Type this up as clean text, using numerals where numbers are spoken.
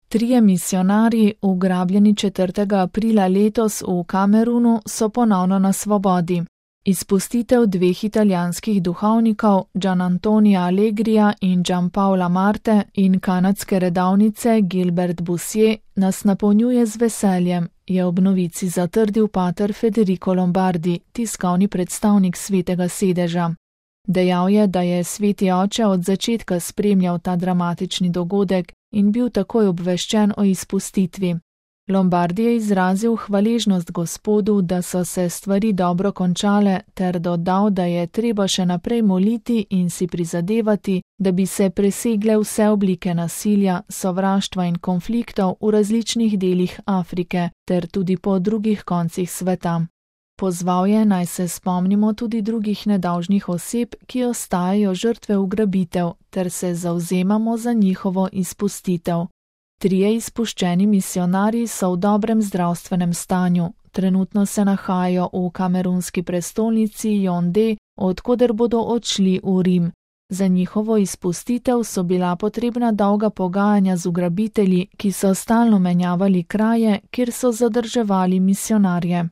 Trije misijonarji, ugrabljeni 4. aprila letos v Kamerunu, so ponovno na svobodi. Izpustitev dveh italijanskih duhovnikov, Gianantonija Allegrija in Gianpaola Marte, in kanadske redavnice Gilbert Bussier nas napolnjuje z veseljem, je ob novici zatrdil pater Federico Lombardi, tiskovni predstavnik Svetega sedeža. Dejal je, da je Sveti oče od začetka spremljal ta dramatični dogodek in bil takoj obveščen o izpustitvi. Lombardi je izrazil hvaležnost Gospodu, da so se stvari dobro končale, ter dodal, da je treba še naprej moliti in si prizadevati, da bi se presegle vse oblike nasilja, sovraštva in konfliktov v različnih delih Afrike ter tudi po drugih koncih sveta. Pozval je, naj se spomnimo tudi drugih nedolžnih oseb, ki ostajajo žrtve ugrabitev, ter se zavzemamo za njihovo izpustitev. Trije izpuščeni misijonarji so v dobrem zdravstvenem stanju. Trenutno se nahajajo v kamerunski prestolnici Yaoundé, od koder bodo odšli v Rim. Za njihovo izpustitev so bila potrebna dolga pogajanja z ugrabitelji, ki so stalno menjavali kraje, kjer so zadrževali misijonarje.